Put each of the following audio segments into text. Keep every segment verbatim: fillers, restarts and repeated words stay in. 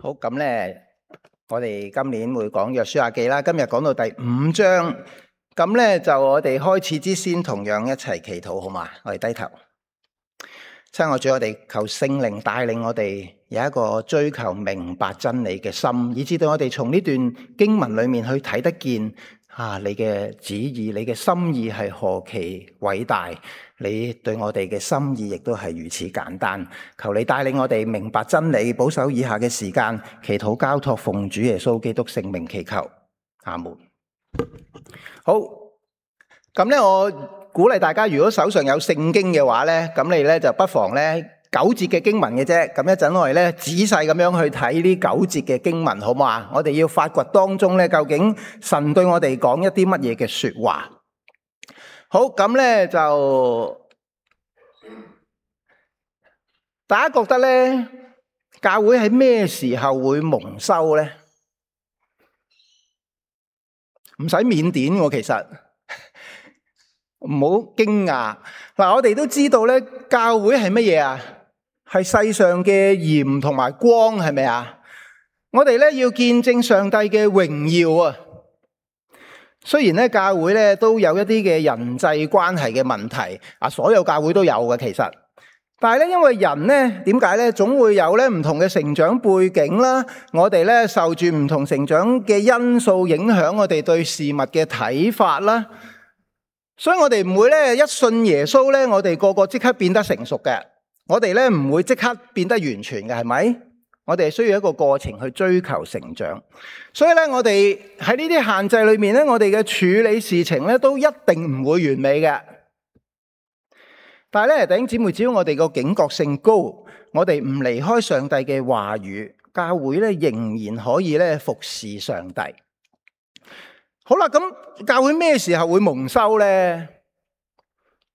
好，咁咧，我哋今年會講約書亞記啦。今日講到第五章，咁咧就我哋開始之先，同樣一齊祈禱，好嘛？我哋低頭，親愛主，我哋求聖靈帶領我哋有一個追求明白真理嘅心，以至到我哋從呢段經文裏面去睇得見啊，你嘅旨意，你嘅心意係何其偉大。你對我哋嘅心意亦都係如此簡單，求你帶領我哋明白真理，保守以下嘅時間，祈禱交託奉主耶穌基督聖名祈求，阿門。好，咁咧我鼓勵大家，如果手上有聖經嘅話咧，咁你咧就不妨咧九節嘅經文嘅啫，咁一陣我哋咧仔細咁樣去睇呢九節嘅經文，好嘛？我哋要發掘當中咧究竟神對我哋講一啲乜嘢嘅說話。好，咁咧就大家覺得咧，教會喺咩時候會蒙羞咧？唔使腼腆喎，其實唔好驚訝。嗱，我哋都知道咧，教會係乜嘢啊？係世上嘅鹽同埋光，係咪啊？我哋咧要見證上帝嘅榮耀啊！雖然咧教會咧都有一啲嘅人際關係嘅問題，啊，所有教會都有嘅其實，但係咧因為人咧點解咧總會有咧唔同嘅成長背景啦，我哋咧受住唔同成長嘅因素影響我哋對事物嘅睇法啦，所以我哋唔會咧一信耶穌咧，我哋個個即刻變得成熟嘅，我哋咧唔會即刻變得完全嘅，係咪？我哋需要一個過程去追求成長，所以咧我哋喺呢啲限制裏面咧，我哋嘅處理事情咧都一定唔會完美嘅。但係咧弟兄姊妹，只要我哋個警覺性高，我哋唔離開上帝嘅話語，教會咧仍然可以咧服侍上帝。好啦，咁教會咩時候會蒙羞咧？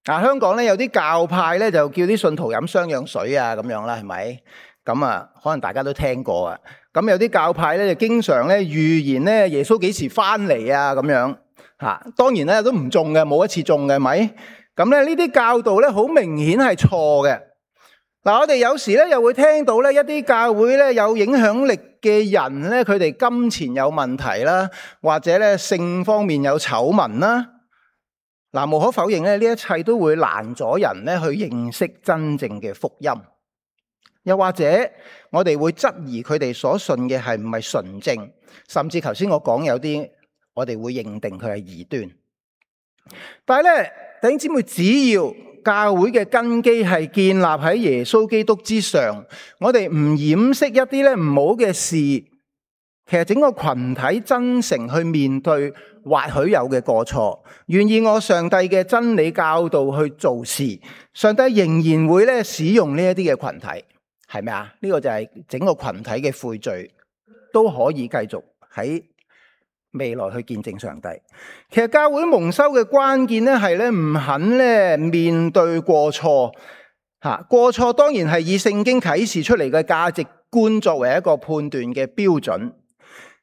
啊，香港咧有啲教派咧就叫啲信徒飲雙氧水啊，咁樣啦，係咪？咁啊，可能大家都聽過啊。咁有啲教派咧，就經常咧預言咧耶穌幾時翻嚟啊，咁樣吓。當然咧都唔中嘅，冇一次中嘅，係咪？咁咧呢啲教導咧好明顯係錯嘅。嗱，我哋有時咧又會聽到咧一啲教會咧有影響力嘅人咧，佢哋金錢有問題啦，或者咧性方面有醜聞啦。嗱，無可否認咧，呢一切都會攔阻人咧去認識真正嘅福音。又或者我哋會質疑佢哋所信嘅係唔係純正，甚至頭先我講有啲我哋會認定佢係異端。但係咧，弟兄姊妹，只要教會嘅根基係建立喺耶穌基督之上，我哋唔掩飾一啲咧唔好嘅事，其實整個群體真誠去面對或許有嘅過錯，願意按上帝嘅真理教導去做事，上帝仍然會咧使用呢一啲嘅群體。係咪啊？呢個就係整個群體嘅悔罪都可以繼續喺未來去見證上帝。其實教會蒙羞嘅關鍵咧係咧唔肯咧面對過錯吓，過錯當然係以聖經啟示出嚟嘅價值觀作為一個判斷嘅標準，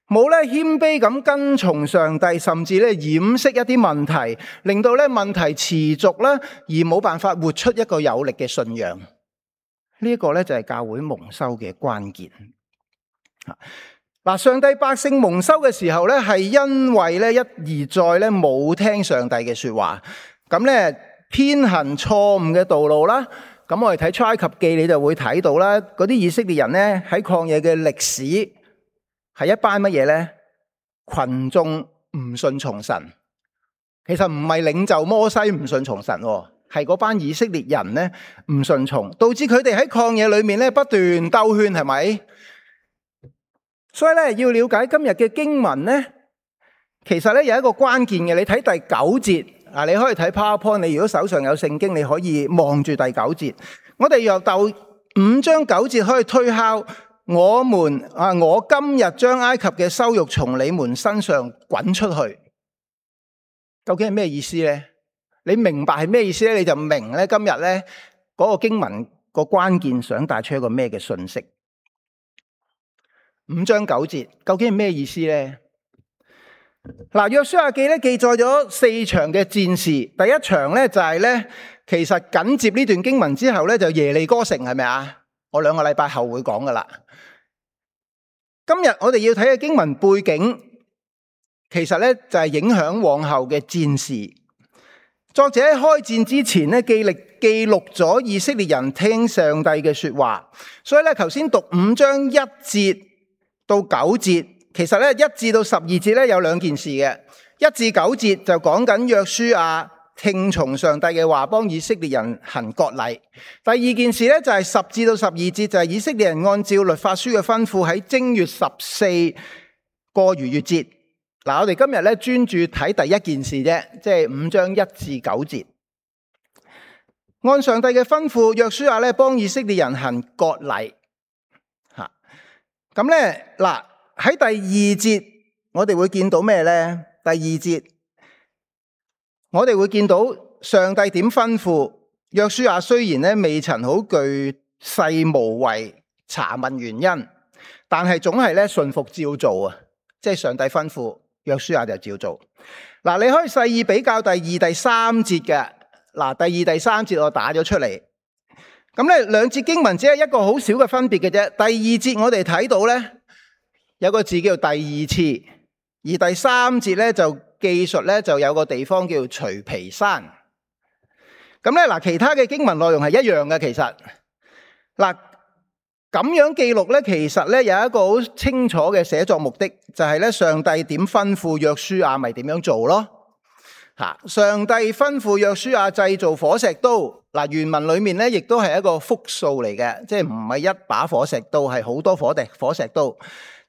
冇咧謙卑咁跟從上帝，甚至咧掩飾一啲問題，令到咧問題持續啦，而冇辦法活出一個有力嘅信仰。呢一個咧就係教會蒙羞嘅關鍵。嗱，上帝百姓蒙羞嘅時候咧，係因為咧一而再咧冇聽上帝嘅說話，咁咧偏行錯誤嘅道路啦。咁我哋睇出埃及記，你就會睇到啦，嗰啲以色列人咧喺曠野嘅歷史係一班乜嘢咧？群眾唔順從神，其實唔係領袖摩西唔順從神。係嗰班以色列人咧唔順從，導致佢哋喺曠野裏面咧不斷兜圈，係咪？所以咧要了解今日嘅經文咧，其實咧有一個關鍵嘅。你睇第九節啊，你可以睇 PowerPoint。你如果手上有聖經，你可以望住第九節。我哋由第五章九節可以推敲，我們啊，我今日將埃及嘅羞辱從你們身上滾出去，究竟係咩意思咧？你明白係咩意思咧？你就明咧今日咧嗰個經文個關鍵想帶出一個咩嘅信息。五章九節究竟係咩意思咧？嗱，約書亞記咧記載咗四場嘅戰事。第一場咧就係咧，其實緊接呢段經文之後咧就耶利哥城，係咪啊？我兩個禮拜後會講噶啦。今日我哋要睇嘅經文背景，其實咧就係影響往後嘅戰事。作者喺開戰之前咧，記錄記錄咗以色列人聽上帝嘅說話。所以咧，頭先讀五章一節到九節，其實咧一至到十二節咧有兩件事嘅。一至九節就講緊約書亞聽從上帝嘅話，幫以色列人行割禮。第二件事咧就係十至到十二節，就係以色列人按照律法書嘅吩咐喺正月十四過逾越節。嗱，我哋今日咧專注睇第一件事啫，即係五章一至九節。按上帝嘅吩咐，約書亞咧幫以色列人行割禮。吓，咁咧嗱喺第二節我哋會見到咩咧？第二節我哋會見到上帝點吩咐約書亞，雖然咧未曾好巨細無遺查問原因，但係總係咧順服照做啊！即係上帝吩咐約書亞就照做。嗱，你可以細意比較第二、第三節嘅。嗱，第二、第三節我打咗出嚟。咁咧兩節經文只係一個好少嘅分別嘅啫。第二節我哋睇到咧有個字叫第二次，而第三節咧就記述咧就有個地方叫除皮山。咁咧嗱，其他嘅經文內容係一樣嘅。其實嗱咁樣記錄咧，其實咧有一個好清楚嘅寫作目的，就係咧上帝點吩咐約書亞咪點樣做咯。吓，上帝吩咐約書亞製造火石刀。嗱，原文裏面咧亦都係一個複數嚟嘅，即係唔係一把火石刀，係好多火石火石刀。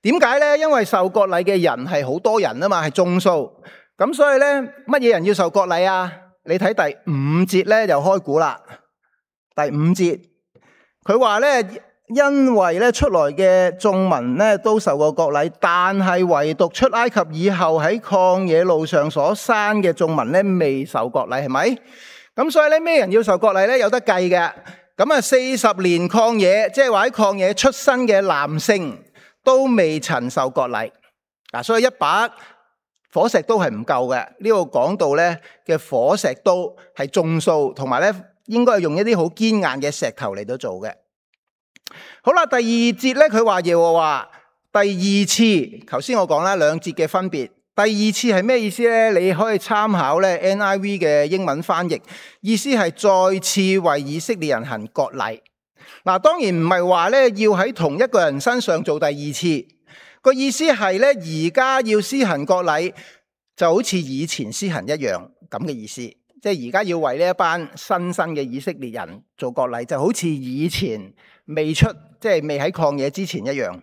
點解咧？因為受割禮嘅人係好多人啊嘛，係眾數。咁所以咧，乜嘢人要受割禮啊？你睇第五節咧就開估啦。第五節佢話咧，因為咧出來嘅眾民咧都受過割禮，但係唯獨出埃及以後喺曠野路上所生嘅眾民咧未受割禮，係咪？咁所以咧，咩人要受割禮咧？有得計嘅。咁啊，四十年曠野，即係話喺曠野出生嘅男性都未曾受割禮。嗱，所以一把火石刀係唔夠嘅。呢度講到咧嘅火石刀係眾數，同埋咧應該係用一啲好堅硬嘅石頭嚟到做嘅。好啦，第二節咧，佢話耶和華第二次，頭先我講啦兩節嘅分別。第二次係咩意思咧？你可以參考咧 N I V 嘅英文翻譯，意思係再次為以色列人行割禮。嗱，當然唔係話咧要喺同一個人身上做第二次，個意思係咧而家要施行割禮，就好似以前施行一樣咁嘅意思。即係而家要為呢一班新生嘅以色列人做割禮，就好似以前未出，即係未喺曠野之前一樣。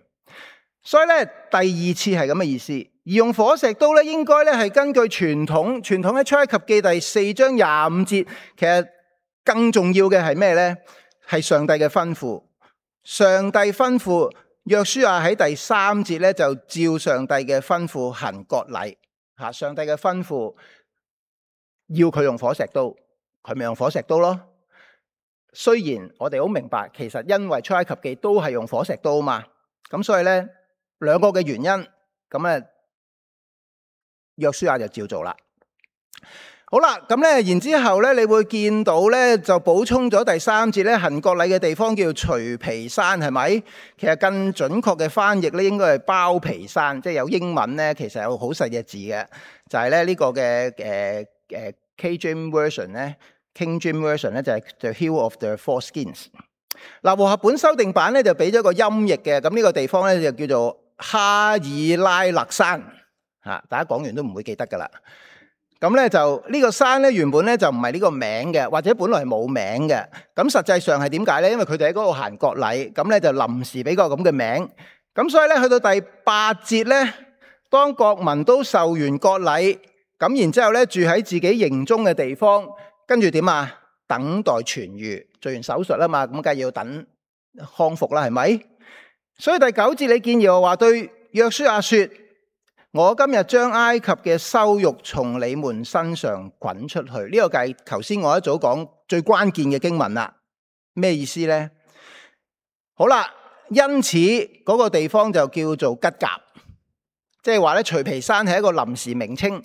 所以咧，第二次係咁嘅意思。而用火石刀咧，應該咧係根據傳統，傳統喺出埃及記第四章廿五節。其實更重要嘅係咩咧？係上帝嘅吩咐。上帝吩咐約書亞喺第三節咧，就照上帝嘅吩咐行割禮。吓，上帝嘅吩咐要佢用火石刀，佢咪用火石刀咯。雖然我哋好明白，其實因為出埃及記都係用火石刀嘛，咁所以咧兩個嘅原因，咁咧約書亞就照做啦。好啦，咁咧然之後咧，你會見到咧就補充咗第三節咧，行割禮嘅地方叫除皮山，係咪？其實更準確嘅翻譯咧，應該係包皮山，即係有英文咧，其實有好細隻字嘅，就係咧呢個嘅誒誒 K James Version 咧 ，King James Version 咧就係 The Hill of the Foreskins。嗱，和合本修訂版咧就俾咗個音譯嘅，咁呢個地方咧就叫做哈爾拉勒山，吓，大家講完都唔會記得噶啦。咁咧就呢個山咧原本咧就唔係呢個名嘅，或者本來係冇名嘅。咁實際上係點解咧？因為佢哋喺嗰度行割禮，咁咧就臨時俾個咁嘅名。咁所以咧去到第八節咧，當國民都受完割禮，咁然之後咧住喺自己營中嘅地方，跟住點啊？等待痊愈，做完手術啦嘛，咁梗係要等康復啦，係咪？所以第九節你見耶和華對約書亞說：我今日將埃及嘅羞辱從你們身上滾出去。呢、這個就係頭先我一早講最關鍵嘅經文啦。咩意思呢？好啦，因此嗰個地方就叫做吉甲，即係話咧除皮山係一個臨時名稱。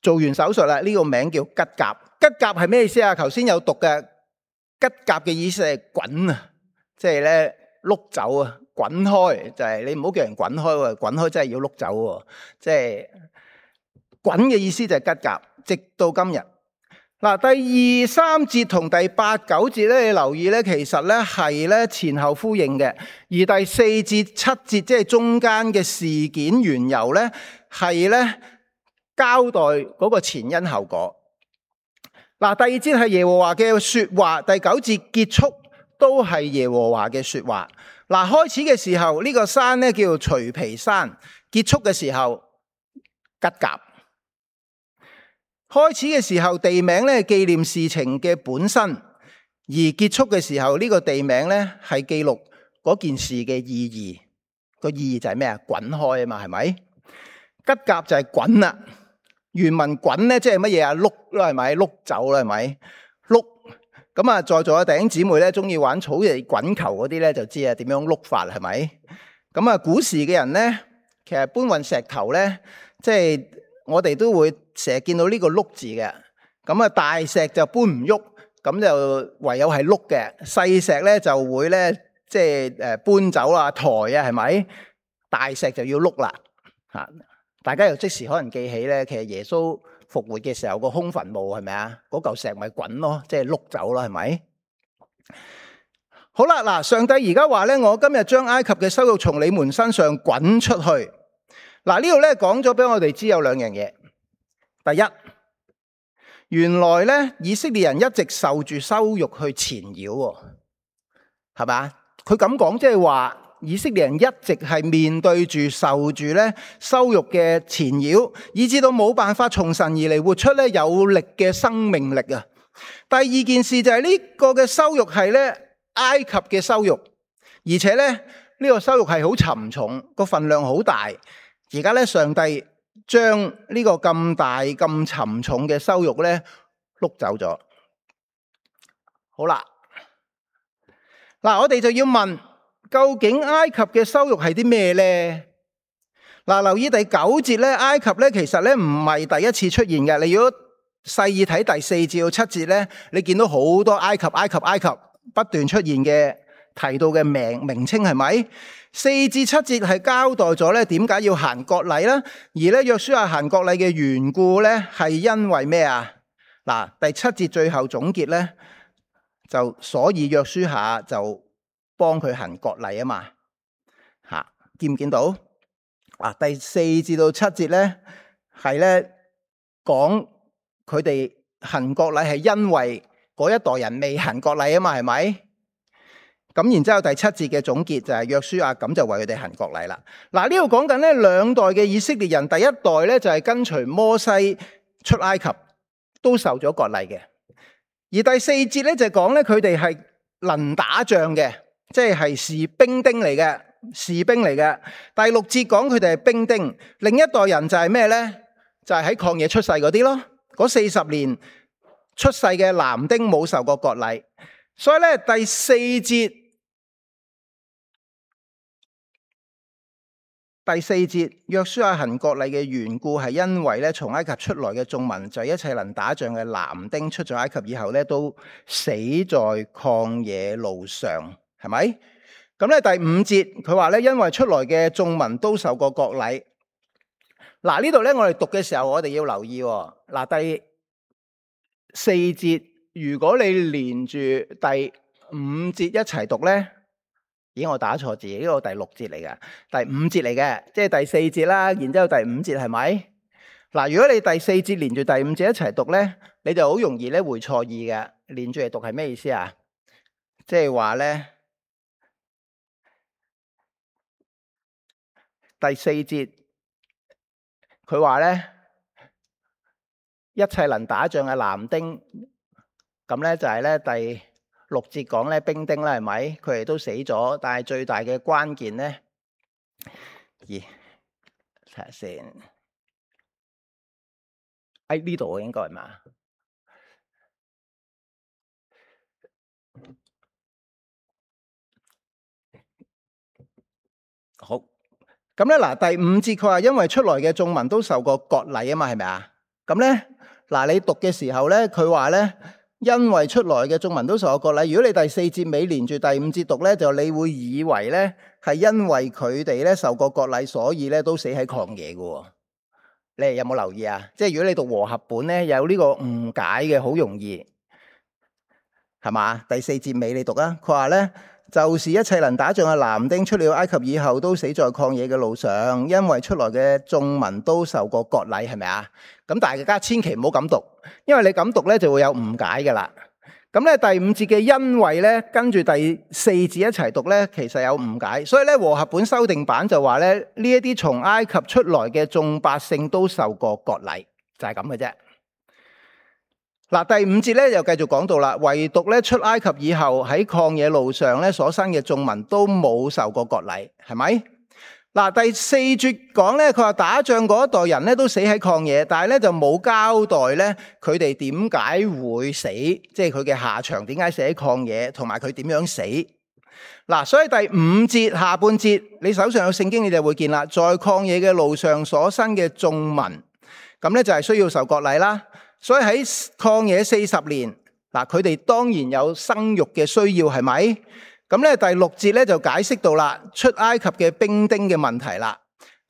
做完手術啦，呢、這個名叫吉甲。吉甲係咩意思啊？頭先有讀嘅吉甲嘅意思係滾啊，即係咧碌走啊，滾開，就係、是、你唔好叫人滾開喎，滾開真係要碌走喎，即係滾嘅意思就係吉甲，直到今日。嗱，第二三節同第八九節咧，你留意咧，其實咧係咧前後呼應嘅。而第四節、七節即係中間嘅事件緣由咧，係咧交代嗰個前因後果。嗱，第二節係耶和華嘅說話，第九節結束都係耶和華嘅說話。嗱，開始嘅時候呢個山咧叫做除皮山，結束嘅時候吉甲。開始嘅時候地名咧紀念事情嘅本身，而結束嘅時候呢個地名咧係記錄嗰件事嘅意義。個意義就係咩啊？滾開啊嘛，係咪？吉甲就係滾啦。原文滾咧即係乜嘢啊？碌啦，係咪？碌走啦，係咪？碌。咁啊，在座嘅弟兄姊妹咧中意玩草地滾球嗰啲咧就知啊點樣碌法，係咪？咁啊，古時嘅人咧其實搬運石頭咧，即係我哋都會成日見到呢個碌字嘅。咁啊，大石就搬唔喐，咁就唯有係碌嘅。細石咧就會咧即係誒搬走啊，抬啊，係咪？大石就要碌啦。吓，大家又即時可能記起咧，其實耶穌復活嘅時候個空墳墓係咪啊？嗰嚿石咪滾咯，即係碌走啦，係咪？好啦，嗱，上帝而家話咧，我今日將埃及嘅羞辱從你們身上滾出去。嗱，呢度咧講咗俾我哋知有兩樣嘢。第一，原來咧以色列人一直受住羞辱去纏繞，係咪？佢咁講即係話以色列人一直係面對住受住咧羞辱嘅纏繞，以至到冇辦法從神而嚟活出咧有力嘅生命力啊。第二件事就係呢個嘅羞辱係咧埃及嘅羞辱，而且咧呢個羞辱係好沉重，個分量好大。而家咧上帝將呢個咁大咁沉重嘅羞辱咧碌走咗。好啦，嗱，我哋就要問，究竟埃及嘅羞辱係啲咩咧？嗱，留意第九節咧，埃及咧其實咧唔係第一次出現嘅。你如果細意睇第四至到七節咧，你見到好多埃及、埃及、埃及不斷出現嘅提到嘅名名稱，係咪？四至七節係交代咗咧點解要行割禮啦，而咧約書亞行割禮嘅緣故咧係因為咩啊？嗱，第七節最後總結咧，就所以約書亞就幫佢行割禮啊嘛。吓，見唔見到？啊，第四至到七節咧係咧講佢哋行割禮係因為嗰一代人未行割禮啊嘛，係咪？咁然之後第七節嘅總結就係約書亞咁就為佢哋行割禮啦。嗱，呢度講緊咧兩代嘅以色列人，第一代咧就係跟隨摩西出埃及，都受咗割禮嘅。而第四節咧就講咧佢哋係能打仗嘅，即係係士兵丁嚟嘅，士兵嚟嘅。第六節講佢哋係兵丁，另一代人就係咩咧？就係喺曠野出世嗰啲咯，嗰四十年出世嘅男丁冇受過割禮。所以咧第四節，第四節約書亞行割禮嘅緣故係因為咧從埃及出來嘅眾民，就一切能打仗嘅男丁出咗埃及以後咧都死在曠野路上，係咪？咁咧第五節佢話咧因為出來嘅眾民都受過割禮。嗱，呢度咧我哋讀嘅時候我哋要留意喎。嗱，第四節如果你連住第五節一齊讀咧，咦，我打錯字，呢個第六節嚟嘅，第五節嚟嘅，即係第四節啦，然之後第五節係咪？嗱，如果你第四節連住第五節一齊讀咧，你就好容易咧會錯意嘅。連住嚟讀係咩意思啊？即係話咧第四節佢話咧一切能打仗嘅男丁。咁咧就係咧第六節講咧兵丁啦，係咪？佢哋都死咗，但係最大嘅關鍵咧，咦，睇下先，喺呢度應該係嘛？好，咁咧嗱，第五節佢話因為出來嘅眾民都受過割禮啊嘛，係咪啊？咁咧嗱，你讀嘅時候咧，佢話咧。因為出來嘅眾民都受過割禮。如果你第四節尾連住第五節讀咧，就你會以為咧係因為佢哋咧受過割禮，所以咧都死喺曠野嘅。你哋有冇留意啊？即係如果你讀和合本咧，有呢個誤解嘅，好容易係嘛？第四節尾你讀啊，佢話咧，就是一切能打仗嘅男丁出了埃及以後，都死在曠野嘅路上，因為出來嘅眾民都受過割禮，係咪啊？咁大家千祈唔好咁讀，因為你咁讀咧就會有誤解噶啦。咁咧第五節嘅因為咧，跟住第四節一齊讀咧，其實有誤解。所以咧和合本修訂版就話咧，呢一啲從埃及出來嘅眾百姓都受過割禮，就係咁嘅啫。嗱，第五節咧又繼續講到啦，唯獨咧出埃及以後喺曠野路上咧所生嘅眾民都冇受過割禮，係咪？嗱，第四節講咧，佢話打仗嗰一代人咧都死喺曠野，但係咧就冇交代咧佢哋點解會死，即係佢嘅下場點解死喺曠野，同埋佢點樣死。嗱，所以第五節下半節，你手上有聖經你就會見啦，在曠野嘅路上所生嘅眾民，咁咧就係需要受割禮啦。所以喺曠野四十年，嗱，佢哋當然有生育嘅需要，係咪？咁咧第六節咧就解釋到啦，出埃及嘅兵丁嘅問題啦。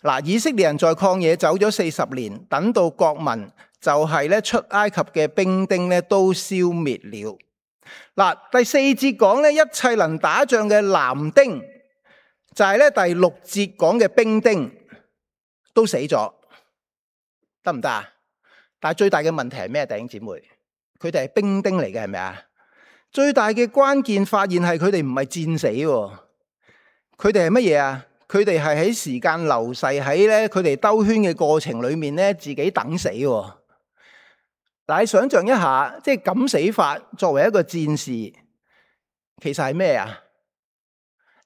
嗱，以色列人在曠野走咗四十年，等到國民就係咧出埃及嘅兵丁咧都消滅了。嗱，第四節講咧，一切能打仗嘅男丁，就係咧第六節講嘅兵丁都死咗，得唔得啊？但係最大嘅問題係咩？弟兄姊妹，佢哋係兵丁嚟嘅，係咪啊？最大嘅關鍵發現係佢哋唔係戰死，佢哋係乜嘢啊？佢哋係喺時間流逝喺咧佢哋兜圈嘅過程裏面咧，自己等死。但係想象一下，即係咁死法，作為一個戰士，其實係咩啊？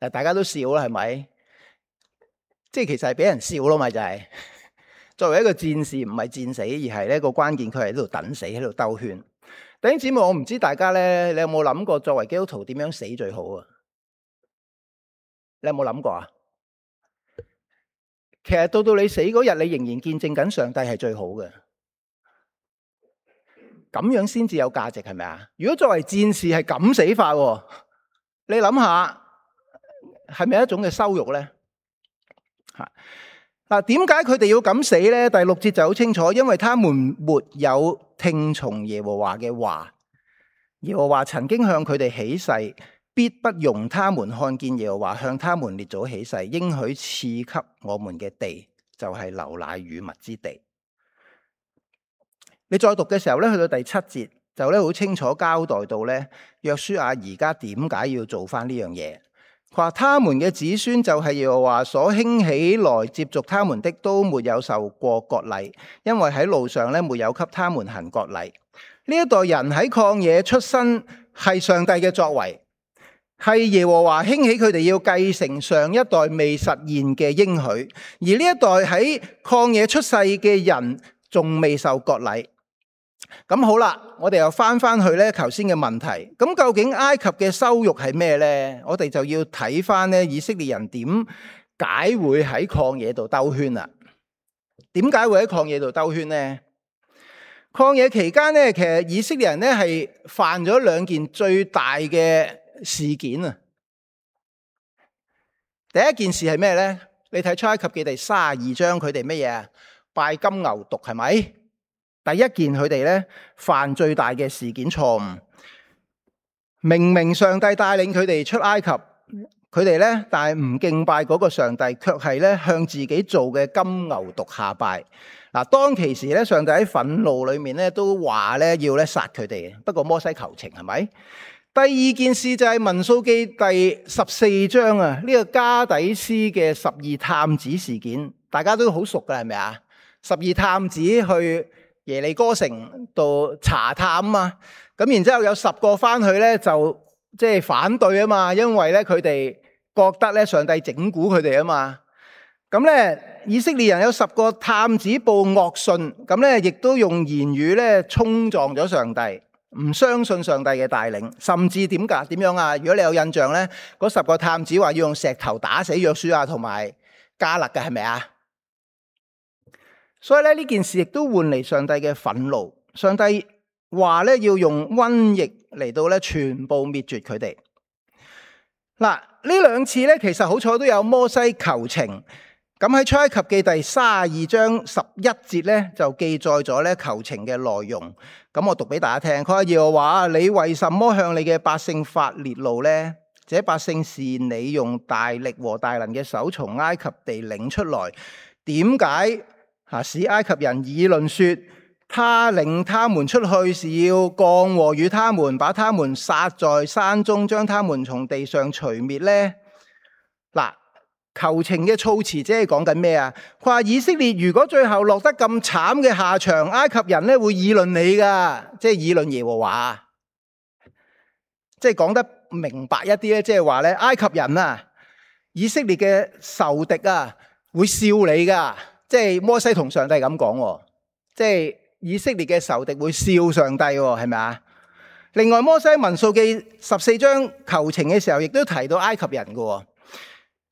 誒，大家都笑啦，係咪？即係其實係俾人笑咯，咪就係。作為一個戰士，唔係戰死，而係呢個關鍵，佢係喺度等死，喺度兜圈。弟兄姊妹，我唔知大家咧，你有冇諗過作為基督徒點樣死最好啊？你有冇諗過啊？其實到到你死嗰日，你仍然見證緊上帝係最好嘅，咁樣先至有價值，係咪啊？如果作為戰士係咁死法，你諗下係咪一種嘅羞辱咧？吓。嗱，點解佢哋要咁死呢？第六節就好清楚，因為他們沒有聽從耶和華嘅話。耶和華曾經向佢哋起誓，必不容他們看見耶和華向他們列祖起誓，應許賜給我們嘅地，就係流奶與蜜之地。你再讀嘅時候咧，去到第七節就咧好清楚交代到咧，約書亞而家點解要做翻呢樣嘢？佢話他們嘅子孫就係耶和華所興起來接續他們的，都沒有受過割禮，因為喺路上咧沒有給他們行割禮。呢一代人喺曠野出生係上帝嘅作為，係耶和華興起佢哋要繼承上一代未實現嘅應許，而呢一代喺曠野出世嘅人仲未受割禮。咁好啦，我哋又翻翻去咧頭先嘅問題，咁究竟埃及嘅羞辱係咩呢？我哋就要睇翻咧以色列人點解會喺曠野度兜圈啦？點解會喺曠野度兜圈呢？曠野期間咧，其實以色列人咧係犯咗兩件最大嘅事件啊。第一件事係咩呢？你睇出埃及記第三十二章，佢哋乜嘢啊？拜金牛犢，係咪？第一件佢哋咧犯最大嘅事件錯誤，明明上帝帶領佢哋出埃及，佢哋咧但係唔敬拜嗰個上帝，卻係咧向自己做嘅金牛犢下拜。嗱，當其時咧，上帝喺憤怒裏面咧都話咧要咧殺佢哋嘅，不過摩西求情，係咪？第二件事就係民數記第十四章啊，呢個加底斯嘅十二探子事件，大家都好熟噶，係咪啊？十二探子去耶利哥城度查探啊嘛，咁然之後有十個翻去咧就即係反對啊嘛，因為咧佢哋覺得咧上帝整蠱佢哋啊嘛，咁咧以色列人有十個探子報惡信，咁咧亦都用言語咧衝撞咗上帝，唔相信上帝嘅帶領，甚至點噶點樣啊？如果你有印象咧，嗰十個探子話要用石頭打死約書亞同埋迦勒嘅，係咪啊？所以咧呢件事亦都換嚟上帝嘅憤怒，上帝話咧要用瘟疫嚟到咧全部滅絕佢哋。嗱，呢兩次咧其實好彩都有摩西求情。咁喺出埃及記第三十二章十一節咧就記載咗咧求情嘅內容。咁我讀俾大家聽。佢話耶和華，你為什麼向你嘅百姓發烈怒呢？這百姓是你用大力和大能嘅手從埃及地領出來，點解啊使埃及人議論說，他領他們出去是要降禍與他們，把他們殺在山中，將他們從地上除滅呢？嗱，求情嘅措辭即係講緊咩啊？佢話以色列如果最後落得咁慘嘅下場，埃及人咧會議論你噶，即係議論耶和華。即係講得明白一啲咧，即係話咧，埃及人啊，以色列嘅仇敵啊，會笑你噶。即係摩西同上帝咁講，即係以色列嘅仇敵會笑上帝，係咪啊？另外，摩西民數記十四章求情嘅時候，亦都提到埃及人嘅。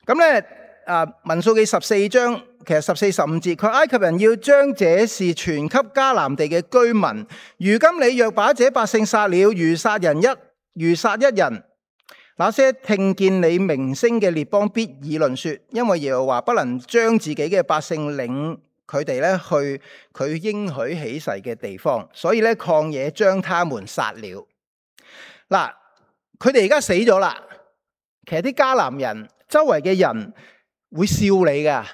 咁咧，啊，民數記十四章其實十四十五節，佢埃及人要將這事傳給迦南地嘅居民。如今你若把這百姓殺了，如殺人一。如殺一人，那些聽見你名聲嘅列邦必議論說，因為耶和華不能將自己嘅百姓領佢哋咧去佢應許起誓嘅地方，所以咧曠野將他們殺了。嗱，佢哋而家死咗啦。其實啲迦南人周圍嘅人會笑你噶，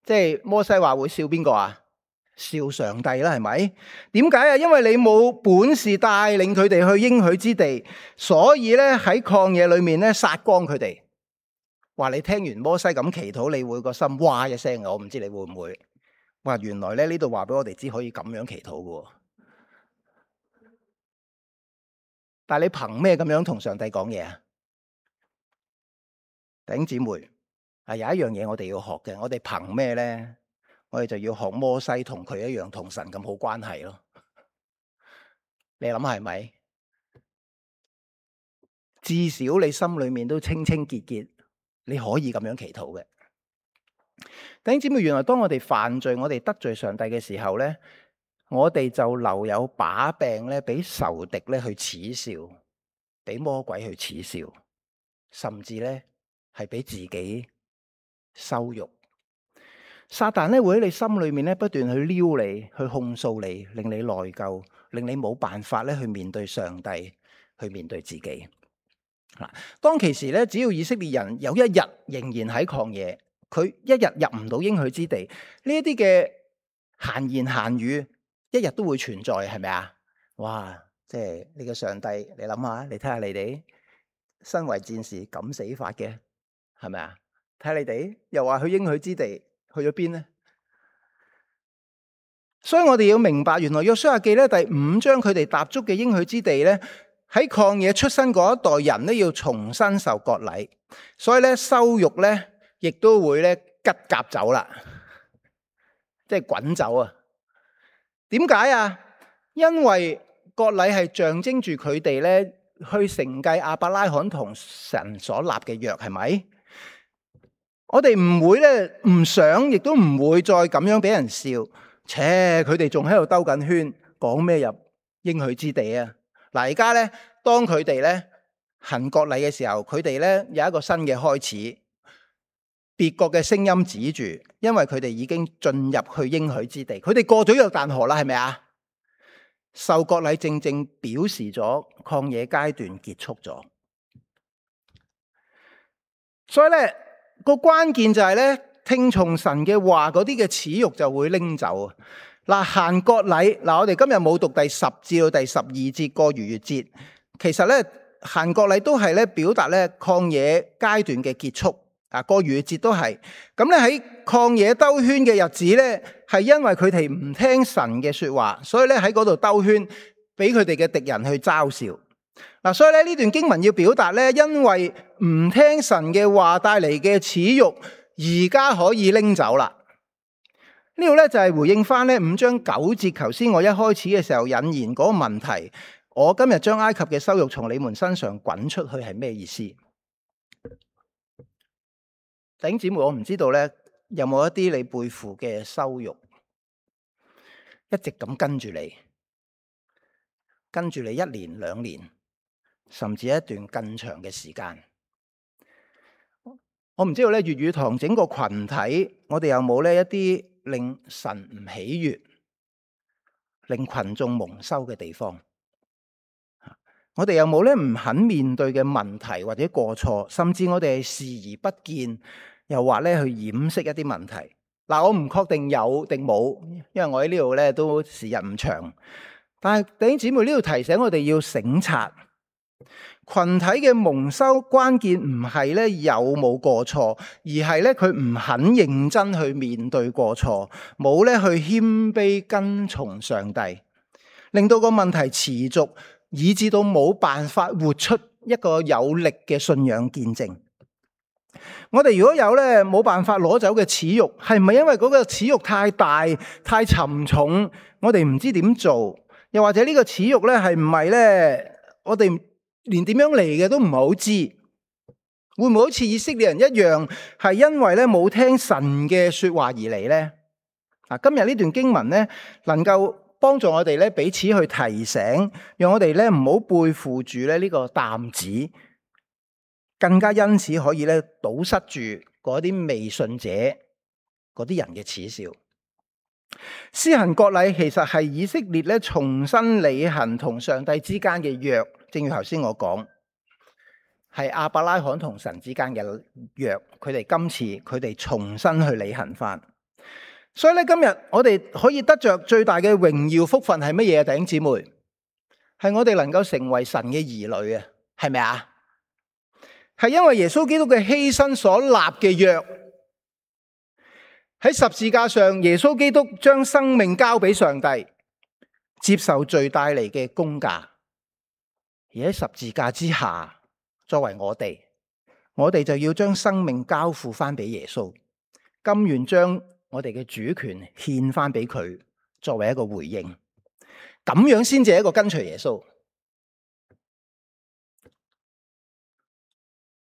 即係摩西話會笑邊個啊？笑上帝啦，係咪？點解啊？因為你冇本事帶領佢哋去應許之地，所以咧喺曠野裏面咧殺光佢哋。話你聽完摩西咁祈禱，你會個心哇一聲，我唔知你會唔會？哇，原來咧呢度話俾我哋知可以咁樣祈禱嘅。但係你憑咩咁樣同上帝講嘢啊？弟兄姊妹，啊有一樣嘢我哋要學嘅，我哋憑咩咧？我哋就要學摩西同佢一樣同神咁好關係咯。你諗係咪？至少你心裏面都清清潔潔，你可以咁樣祈禱嘅。弟兄姊妹，原來當我哋犯罪、我哋得罪上帝嘅時候咧，我哋就留有把柄咧，俾仇敵咧去恥笑，俾魔鬼去恥笑，甚至咧係俾自己羞辱。撒旦咧會喺你心裏面咧不斷去撩你，去控訴你，令你內疚，令你冇辦法咧去面對上帝，去面對自己。嗱，當其時咧，只要以色列人有一日仍然喺曠野，佢一日入唔到應許之地，呢一啲嘅閒言閒語，一日都會存在，係咪啊？哇！即係呢個上帝，你諗下，你睇下你哋身為戰士敢死法嘅，係咪啊？睇下你哋又話去應許之地。去咗邊呢？所以我哋要明白，原來約書亞記咧第五章佢哋踏足嘅應許之地咧，喺曠野出生嗰一代人咧要重新受割禮，所以咧羞辱咧亦都會咧吉甲走啦，即係滾走啊！點解啊？因為割禮係象徵住佢哋咧去承繼亞伯拉罕同神所立嘅約，係咪？我哋唔會咧，唔想，亦都唔會再咁樣俾人笑。切，佢哋仲喺度兜緊圈，講咩入應許之地啊？嗱，而家咧，當佢哋咧行割禮嘅時候，佢哋咧有一個新嘅開始。別國嘅聲音指住，因為佢哋已經進入去應許之地，佢哋過咗約旦河啦，係咪啊？受割禮正正表示咗曠野階段結束咗，所以咧。個關鍵就係咧，聽從神嘅話，嗰啲嘅恥辱就會拎走。嗱，行割禮，嗱，我哋今日冇讀第十至到第十二節過逾越節，其實咧行割禮都係咧表達咧曠野階段嘅結束。啊，過逾越節都係。咁咧喺曠野兜圈嘅日子咧，係因為佢哋唔聽神嘅說話，所以咧喺嗰度兜圈，俾佢哋嘅敵人去嘲笑。嗱，所以咧呢段經文要表達咧，因為唔聽神嘅話帶嚟嘅恥辱，而家可以拎走啦。呢度咧就係回應翻咧五章九節，頭先我一開始嘅時候引言嗰個問題，我今日將埃及嘅羞辱從你們身上滾出去係咩意思？弟兄姊妹，我唔知道咧有冇一啲你背負嘅羞辱，一直咁跟住你。跟住你一年、兩年，甚至一段更長嘅時間。我唔知道咧，粵語堂整個群體，我哋有冇呢一啲令神唔喜悅、令群眾蒙羞嘅地方？我哋有冇咧唔肯面對嘅問題或者過錯，甚至我哋係視而不見，又或咧去掩飾一啲問題？嗱，我唔確定有定冇，因為我喺呢度咧都時日唔長。但係弟兄姊妹，呢度提醒我哋要省察。群體嘅蒙羞關鍵唔係咧有冇過錯，而係咧佢唔肯認真去面對過錯，冇咧去謙卑跟從上帝，令到個問題持續，以致到冇辦法活出一個有力嘅信仰見證。我哋如果有咧冇辦法攞走嘅恥辱，係唔係因為嗰個恥辱太大、太沉重，我哋唔知點做？又或者呢個恥辱咧係唔係咧我哋連點樣嚟嘅都唔係好知，會唔會好似以色列人一樣，係因為咧冇聽神嘅說話而嚟呢？啊，今日呢段經文咧，能夠幫助我哋咧彼此去提醒，讓我哋咧唔好背負住咧呢個擔子，更加因此可以咧堵塞住嗰啲未信者嗰啲人嘅恥笑。施行割禮其實係以色列咧重新履行同上帝之間嘅約。正如頭先我講，係亞伯拉罕同神之間嘅約，佢哋今次佢哋重新去履行翻。所以咧，今日我哋可以得着最大嘅榮耀福分係乜嘢啊？弟兄姊妹，係我哋能夠成為神嘅兒女啊，係咪啊？係因為耶穌基督嘅犧牲所立嘅約，喺十字架上，耶穌基督將生命交俾上帝，接受罪帶嚟嘅工價。而喺十字架之下，作為我哋，我哋就要將生命交付翻俾耶穌，甘願將我哋嘅主權獻翻俾佢，作為一個回應。咁樣先至係一個跟隨耶穌。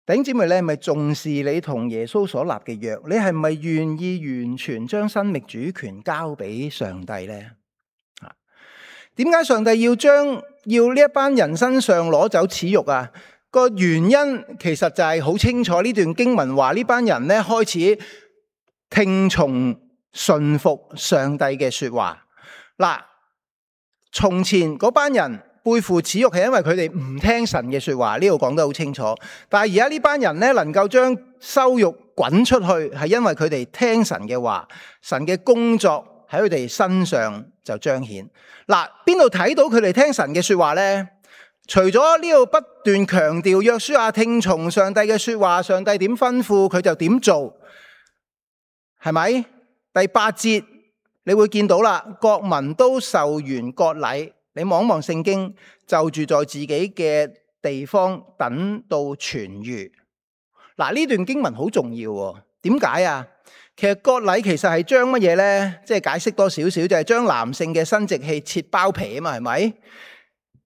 弟兄姊妹，你係咪重視你同耶穌所立嘅約？你係咪願意完全將生命主權交俾上帝呢？點解上帝要將要呢一班人身上攞走恥辱啊？個原因其實就係好清楚，呢段經文話呢班人咧開始聽從順服上帝嘅說話。嗱，從前嗰班人背負恥辱係因為佢哋唔聽神嘅說話，呢度講得好清楚。但係而家呢班人咧能夠將羞辱滾出去，係因為佢哋聽神嘅話，神嘅工作喺佢哋身上就彰顯。嗱，邊度睇到佢哋聽神嘅說話呢？除咗呢度不斷強調約書亞聽從上帝嘅說話，上帝點吩咐佢就點做，係咪？第八節你會見到啦，國民都受完割禮。你望一望聖經，就住在自己嘅地方，等到痊癒。嗱，呢段經文好重要喎。點解啊？其實割禮其實係將乜嘢呢？即係解釋多少少，就係將男性嘅生殖器切包皮啊嘛，係咪？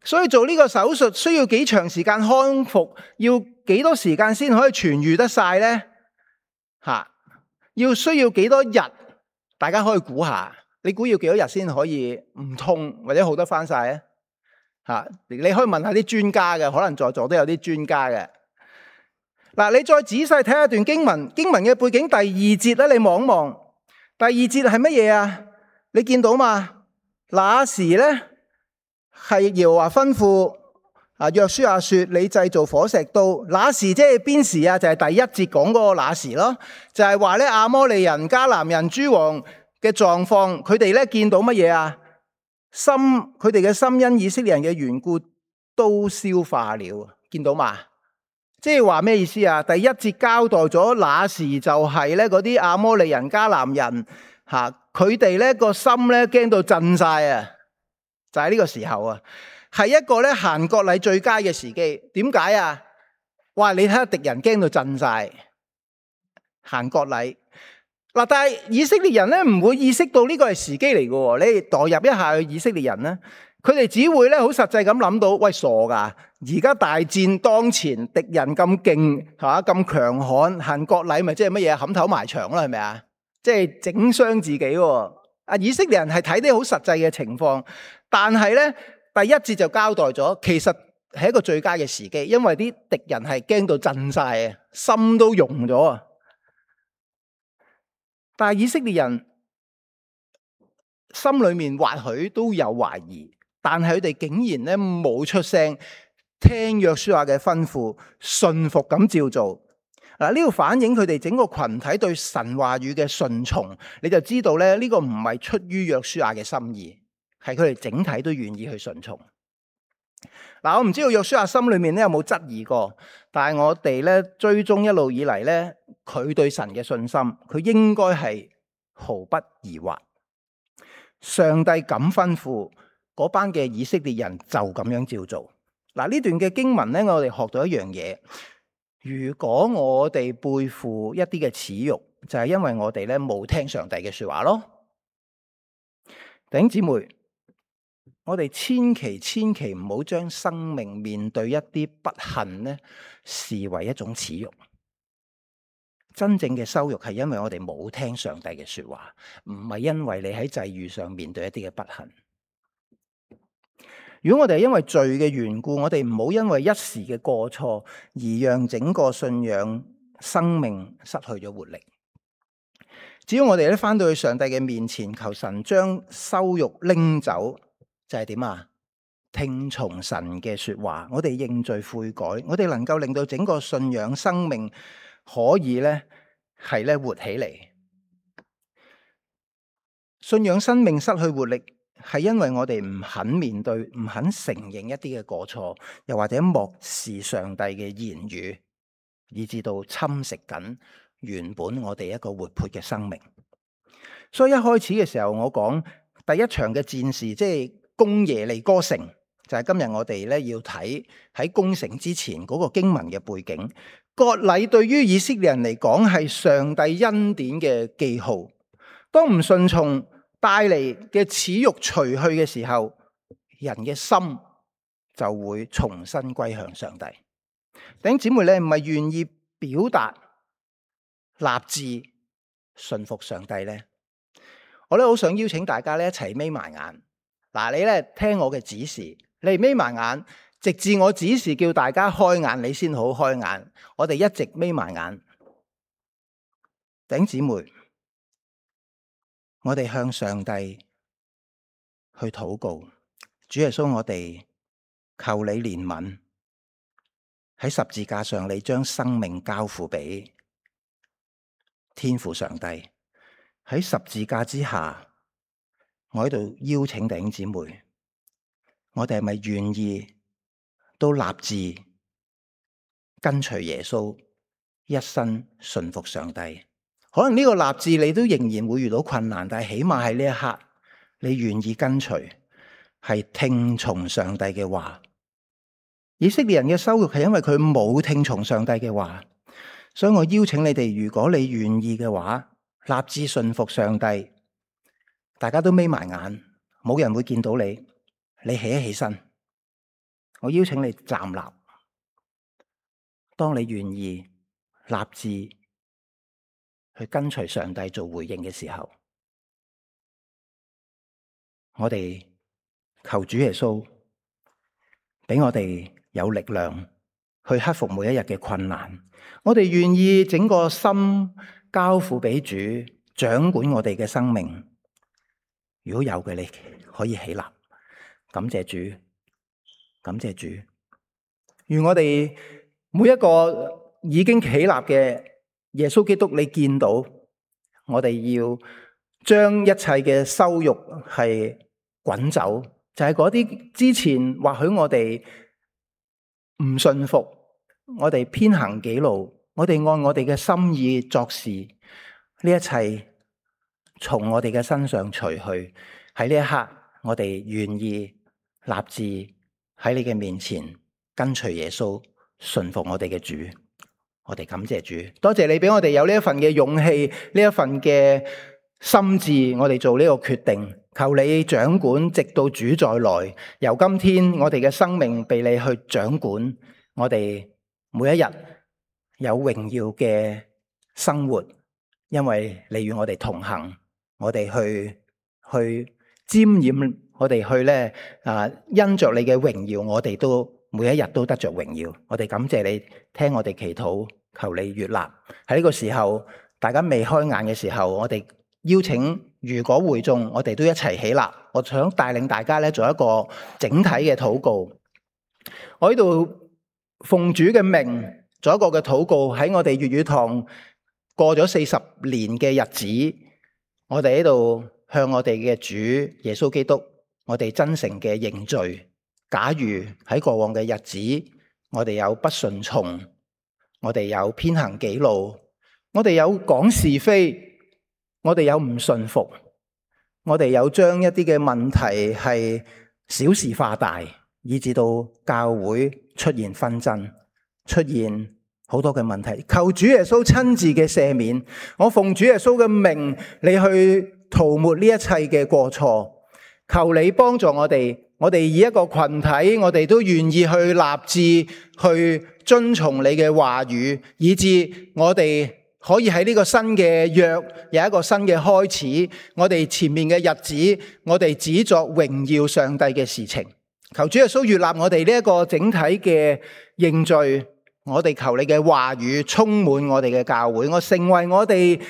所以做呢個手術需要幾長時間康復，要幾多時間先可以痊癒得晒呢？吓，要需要幾多日？大家可以估下，你估要幾多日先可以唔痛或者好得翻晒啊？吓，你可以問下啲專家嘅，可能在座都有啲專家嘅。嗱，你再仔細睇下段經文，經文嘅背景第二節咧，你望一望，第二節係乜嘢啊？你見到嘛？那時咧係耶和華吩咐啊，約書亞說：你製造火石刀。那時即係邊時啊？就係第一節講嗰個那時咯，就係話咧亞摩利人、迦南人、諸王嘅狀況，佢哋咧見到乜嘢啊？心，佢哋嘅心因以色列人嘅緣故都消化了，見到嘛？即係話咩意思啊？第一節交代咗那時就係咧嗰啲亞摩利人、迦南人吓，佢哋咧個心咧驚到震晒啊！就係呢個時候啊，係一個咧行割禮最佳嘅時機。點解啊？哇！你睇下敵人驚到震晒，行割禮嗱，但係以色列人咧唔會意識到呢個係時機嚟嘅。你代入一下以色列人咧，佢哋只會咧好實際咁諗到，喂，傻噶！而家大戰當前，敵人咁勁吓，咁強悍，行割禮咪即係乜嘢？冚頭埋牆啦，係咪啊？即係整傷自己。啊，以色列人係睇啲好實際嘅情況，但係咧第一節就交代咗，其實係一個最佳嘅時機，因為啲敵人係驚到震晒啊，心都融咗啊。但係以色列人心裏面或許都有懷疑，但係佢哋竟然咧冇出聲，聽約書亞嘅吩咐，順服咁照做。嗱，呢個反映佢哋整個群體對神話語嘅順從，你就知道咧呢個唔係出於約書亞嘅心意，係佢哋整體都願意去順從。嗱，我唔知道約書亞心裏面咧有冇質疑過，但係我哋咧追蹤一路以嚟咧，佢對神嘅信心，佢應該係毫不疑惑。上帝咁吩咐嗰班嘅以色列人就咁樣照做。嗱，呢段嘅經文咧，我哋學到一樣嘢。如果我哋背負一啲嘅恥辱，就係因為我哋咧冇聽上帝嘅說話咯。弟兄姊妹，我哋千祈千祈唔好將生命面對一啲不幸咧視為一種恥辱。真正嘅羞辱係因為我哋冇聽上帝嘅說話，唔係因為你喺際遇上面對一啲嘅不幸。如果我哋係因為罪嘅緣故，我哋唔好因為一時嘅過錯而讓整個信仰生命失去咗活力。只要我哋咧返到去上帝嘅面前，求神將羞辱拎走，就係點啊？聽從神嘅說話，我哋認罪悔改，我哋能夠令到整個信仰生命可以咧係咧活起嚟。信仰生命失去活力，係因為我哋唔肯面對，唔肯承認一啲嘅過錯，又或者漠視上帝嘅言語，以致到侵蝕緊原本我哋一個活潑嘅生命。所以一開始嘅時候，我講第一場嘅戰事，即係攻耶利哥城，就係今日我哋咧要睇喺攻城之前嗰個經文嘅背景。割禮對於以色列人嚟講係上帝恩典嘅記號，當唔順從帶嚟嘅恥辱除去嘅時候，人嘅心就會重新歸向上帝。弟兄姊妹咧，唔係願意表達立志順服上帝咧，我咧好想邀請大家咧一齊眯埋眼。嗱，你咧聽我嘅指示，你眯埋眼，直至我指示叫大家開眼，你先好開眼。我哋一直眯埋眼。弟兄姊妹，我哋向上帝去禱告，主耶穌，我哋求你憐憫，喺十字架上你將生命交付俾天父上帝。喺十字架之下，我喺度邀請弟兄姊妹，我哋係咪願意都立志跟隨耶穌，一生順服上帝？可能呢個立志你都仍然會遇到困難，但係起碼喺呢一刻，你願意跟隨，係聽從上帝嘅話。以色列人嘅羞辱係因為佢冇聽從上帝嘅話，所以我邀請你哋，如果你願意嘅話，立志順服上帝。大家都眯埋眼，冇人會見到你，你起一起身，我邀請你站立。當你願意立志去跟隨上帝做回應嘅時候，我哋求主耶穌俾我哋有力量去克服每一日嘅困難。我哋願意整個心交付俾主，掌管我哋嘅生命。如果有嘅，你可以起立，感謝主，感謝主。願我哋每一個已經起立嘅耶穌基督，你見到我哋要將一切嘅羞辱係滾走，就係嗰啲之前或許我哋唔信服，我哋偏行己路，我哋按我哋嘅心意作事，呢一切從我哋嘅身上除去。喺呢一刻，我哋願意立志喺你嘅面前跟隨耶穌，順服我哋嘅主。我哋感謝主，多謝你俾我哋有呢一份嘅勇氣，呢一份嘅心志，我哋做呢個決定。求你掌管，直到主再來。由今天我哋嘅生命被你去掌管，我哋每一日有榮耀嘅生活，因為你與我哋同行，我哋去去沾染我哋去咧啊！因着你嘅榮耀，我哋都每一日都得着榮耀。我哋感謝你聽我哋祈禱，求你悅納。喺呢個時候，大家未開眼嘅時候，我哋邀請，如果會眾，我哋都一齊起立。我想帶領大家咧做一個整體嘅禱告。我喺度奉主嘅命做一個嘅禱告。喺我哋粵語堂過咗四十年嘅日子，我哋喺度向我哋嘅主耶穌基督，我哋真誠嘅認罪。假如喺過往嘅日子，我哋有不順從，我哋有偏行己路，我哋有講是非，我哋有唔順服，我哋有將一啲嘅問題係小事化大，以致到教會出現紛爭，出現好多嘅問題。求主耶穌親自嘅赦免，我奉主耶穌嘅命，你去塗抹呢一切嘅過錯。求你幫助我哋，我哋以一個群體，我哋都願意去立志去遵從你嘅話語，以致我哋可以喺呢個新嘅約有一個新嘅開始。我哋前面嘅日子，我哋只作榮耀上帝嘅事情。求主耶穌悅納我哋呢一個整體嘅認罪。我哋求你嘅話語充滿我哋嘅教會，我成為我哋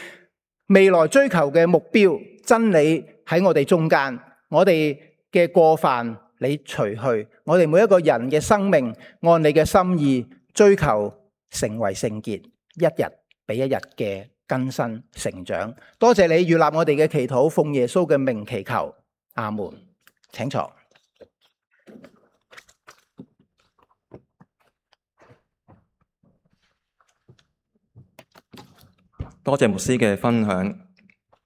未來追求嘅目標。真理喺我哋中間，我哋嘅過犯你除去，我哋每一個人嘅生命按你嘅心意追求成為聖潔，一日比一日嘅更新成長。多謝你悅納我哋嘅祈禱，奉耶穌嘅名祈求，阿門。請坐。多謝牧師嘅分享。